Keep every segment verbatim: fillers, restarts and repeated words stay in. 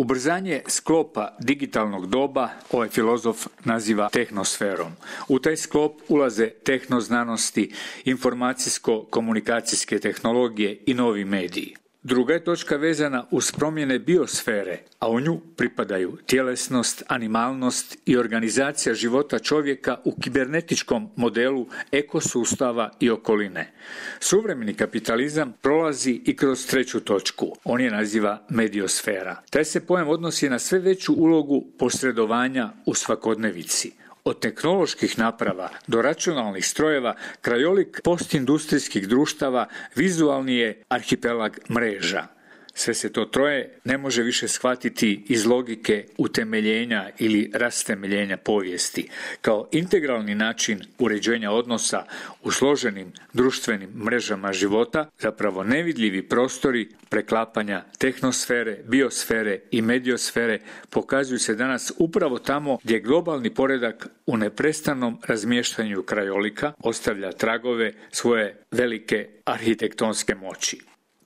Ubrzanje sklopa digitalnog doba ovaj filozof naziva tehnosferom. U taj sklop ulaze tehnoznanosti, informacijsko-komunikacijske tehnologije i novi mediji. Druga je točka vezana uz promjene biosfere, a u nju pripadaju tjelesnost, animalnost i organizacija života čovjeka u kibernetičkom modelu ekosustava i okoline. Suvremeni kapitalizam prolazi i kroz treću točku, on je naziva mediosfera. Taj se pojam odnosi na sve veću ulogu posredovanja u svakodnevici. Od tehnoloških naprava do računalnih strojeva, krajolik postindustrijskih društava vizualni je arhipelag mreža. Sve se to troje ne može više shvatiti iz logike utemeljenja ili rastemeljenja povijesti, kao integralni način uređenja odnosa u složenim društvenim mrežama života, zapravo nevidljivi prostori preklapanja tehnosfere, biosfere i mediosfere pokazuju se danas upravo tamo gdje globalni poredak u neprestanom razmještanju krajolika ostavlja tragove svoje velike arhitektonske moći.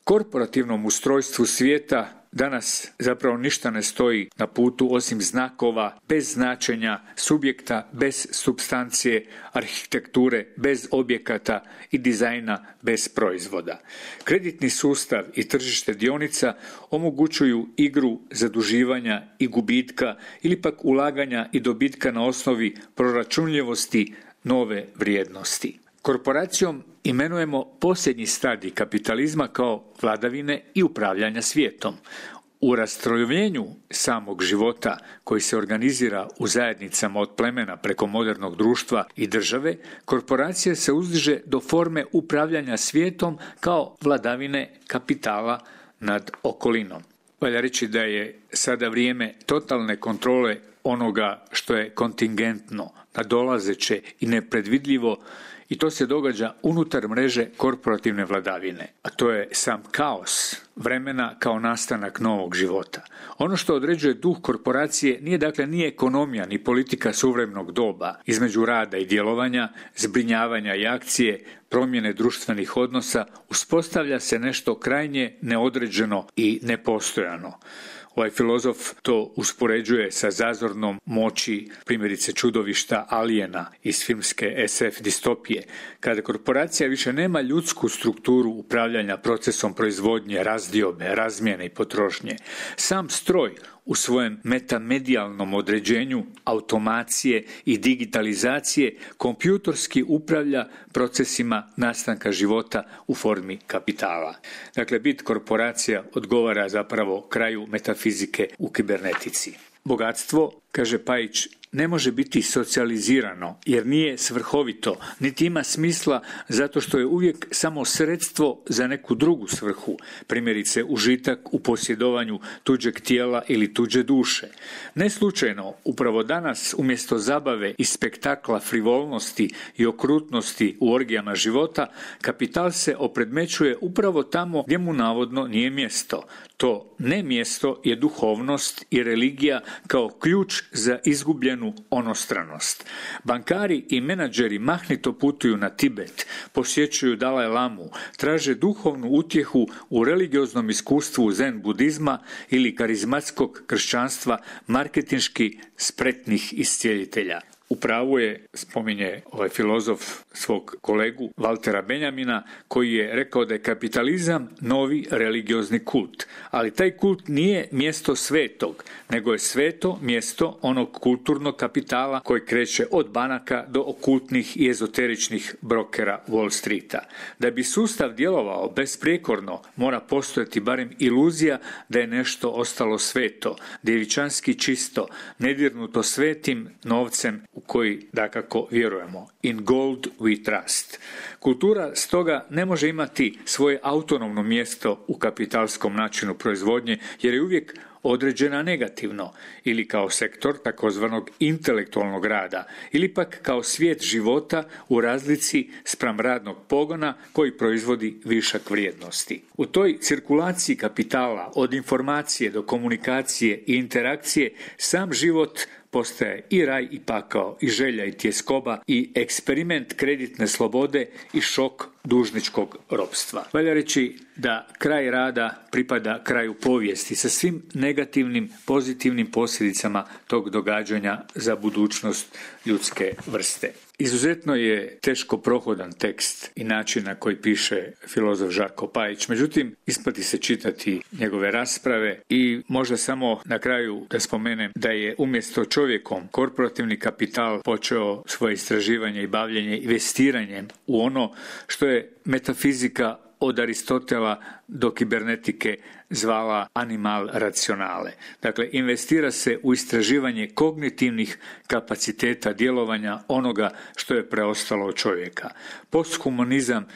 Korporativnom ustrojstvu svijeta danas zapravo ništa ne stoji na putu osim znakova bez značenja, subjekta bez supstancije, arhitekture bez objekata i dizajna bez proizvoda. Kreditni sustav i tržište dionica omogućuju igru zaduživanja i gubitka ili pak ulaganja i dobitka na osnovi proračunljivosti nove vrijednosti. Korporacijom imenujemo posljednji stadij kapitalizma kao vladavine i upravljanja svijetom. U rastrojevljenju samog života koji se organizira u zajednicama od plemena preko modernog društva i države, korporacija se uzdiže do forme upravljanja svijetom kao vladavine kapitala nad okolinom. Valja reći da je sada vrijeme totalne kontrole onoga što je kontingentno, nadolazeće i nepredvidljivo, i to se događa unutar mreže korporativne vladavine, a to je sam kaos vremena kao nastanak novog života. Ono što određuje duh korporacije nije dakle ni ekonomija ni politika suvremenog doba. Između rada i djelovanja, zbrinjavanja i akcije, promjene društvenih odnosa uspostavlja se nešto krajnje neodređeno i nepostojano. Ovaj filozof to uspoređuje sa zazornom moći, primjerice čudovišta Alijena iz filmske es ef distopije, kada korporacija više nema ljudsku strukturu upravljanja procesom proizvodnje, razdiobe, razmjene i potrošnje. Sam stroj u svojem metamedijalnom određenju automacije i digitalizacije kompjutorski upravlja procesima nastanka života u formi kapitala. Dakle, bit korporacija odgovara zapravo kraju metafizike u kibernetici. Bogatstvo, kaže Pajić, ne može biti socijalizirano jer nije svrhovito, niti ima smisla zato što je uvijek samo sredstvo za neku drugu svrhu, primjerice užitak u posjedovanju tuđeg tijela ili tuđe duše. Ne slučajno, upravo danas umjesto zabave i spektakla frivolnosti i okrutnosti u orgijama života, kapital se opredmećuje upravo tamo gdje mu navodno nije mjesto. To ne mjesto je duhovnost i religija kao ključ za izgubljenu onostranost. Bankari i menadžeri mahnito putuju na Tibet, posjećuju Dalaj Lamu, traže duhovnu utjehu u religioznom iskustvu zen budizma ili karizmatskog kršćanstva marketinški spretnih iscijelitelja. U pravu je, spominje ovaj filozof svog kolegu Valtera Benjamina, koji je rekao da je kapitalizam novi religiozni kult. Ali taj kult nije mjesto svetog, nego je sveto mjesto onog kulturnog kapitala koji kreće od banaka do okultnih i ezoteričnih brokera Wall Streeta. Da bi sustav djelovao besprijekorno, mora postojati barem iluzija da je nešto ostalo sveto, djevičanski čisto, nedirnuto svetim novcem u koji dakako vjerujemo. In gold we trust. Kultura stoga ne može imati svoje autonomno mjesto u kapitalskom načinu proizvodnje jer je uvijek određena negativno ili kao sektor takozvanog intelektualnog rada ili pak kao svijet života u razlici spram radnog pogona koji proizvodi višak vrijednosti. U toj cirkulaciji kapitala od informacije do komunikacije i interakcije sam život postaje i raj i pakao, i želja i tjeskoba, i eksperiment kreditne slobode i šok dužničkog ropstva. Valja reći da kraj rada pripada kraju povijesti sa svim negativnim, pozitivnim posljedicama tog događanja za budućnost ljudske vrste. Izuzetno je teško prohodan tekst i način na koji piše filozof Žarko Pajić, međutim isplati se čitati njegove rasprave i možda samo na kraju da spomenem da je umjesto čovjekom korporativni kapital počeo svoje istraživanje i bavljenje investiranjem u ono što je metafizika od Aristotela do kibernetike zvala animal racionale. Dakle, investira se u istraživanje kognitivnih kapaciteta djelovanja onoga što je preostalo od čovjeka. Posthumanizam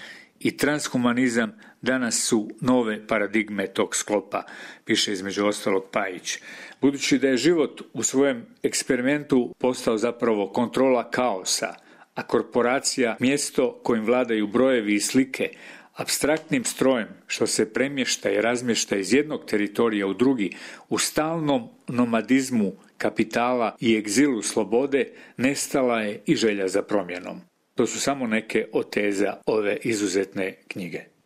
i transhumanizam danas su nove paradigme tog sklopa, piše između ostalog Pajić. Budući da je život u svojem eksperimentu postao zapravo kontrola kaosa, a korporacija mjesto kojim vladaju brojevi i slike, apstraktnim strojem što se premješta i razmješta iz jednog teritorija u drugi, u stalnom nomadizmu kapitala i egzilu slobode, nestala je i želja za promjenom. To su samo neke od teza ove izuzetne knjige.